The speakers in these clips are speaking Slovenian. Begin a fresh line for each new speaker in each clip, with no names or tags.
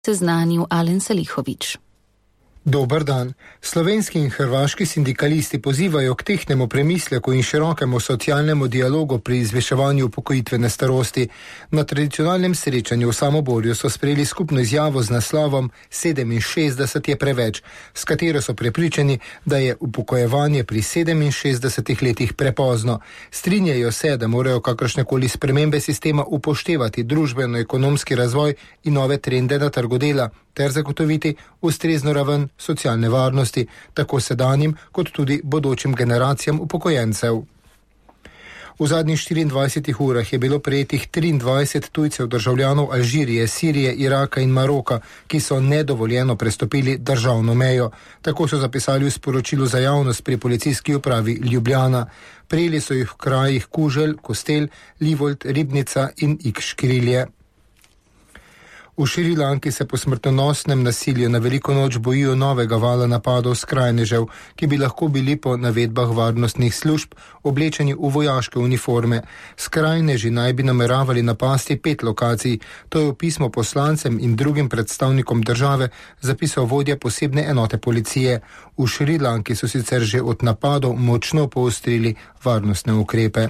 seznanil Alen Salihović.
Dober dan. Slovenski in hrvaški sindikalisti pozivajo k tehtnemu premisleku in širokemu socialnemu dialogu pri izviševanju upokojitvene starosti. Na tradicionalnem srečanju v Samoborju so sprejeli skupno izjavo z naslovom 67 je preveč, s katero so prepričani, da je upokojevanje pri 67 letih prepozno. Strinjajo se, da morajo kakršnekoli spremembe sistema upoštevati družbeno-ekonomski razvoj in nove trende na trgu dela, ter zagotoviti ustrezno raven socialne varnosti, tako sedanjim kot tudi bodočim generacijam upokojencev. V zadnjih 24 urah je bilo prejetih 23 tujcev državljanov Alžirije, Sirije, Iraka in Maroka, ki so nedovoljeno prestopili državno mejo. Tako so zapisali v sporočilu za javnost pri policijski upravi Ljubljana. Prijeli so jih v krajih Kuželj, Kostel, Livold, Ribnica in Ikškrilje. V Šrilanki se po smrtonosnem nasilju na veliko noč bojijo novega vala napadov skrajnežev, ki bi lahko bili po navedbah varnostnih služb oblečeni v vojaške uniforme. Skrajneži naj bi nameravali napasti 5 lokacij. To je v pismo poslancem in drugim predstavnikom države zapisal vodja posebne enote policije. V Šrilanki so sicer že od napadov močno poostrili varnostne ukrepe.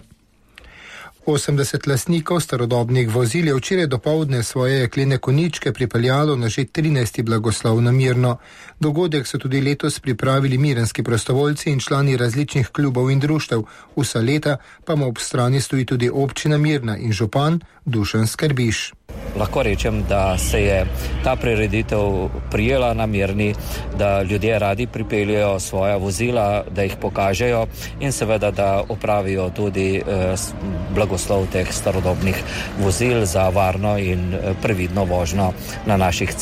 80 lastnikov starodobnih vozil je včeraj dopoldne svoje jeklene konjičke pripeljalo na že 13. blagoslov na Mirno. Dogodek so tudi letos pripravili mirenski prostovoljci in člani različnih klubov in društev. Vsa leta pa mu ob strani stoji tudi občina Mirna in župan Dušan Skrbiš.
Lahko rečem, da se je ta prireditev prijela na Mirni, da ljudje radi pripeljejo svoja vozila, da jih pokažejo in seveda, da opravijo tudi blagoslov teh starodobnih vozil za varno in previdno vožnjo na naših cestah.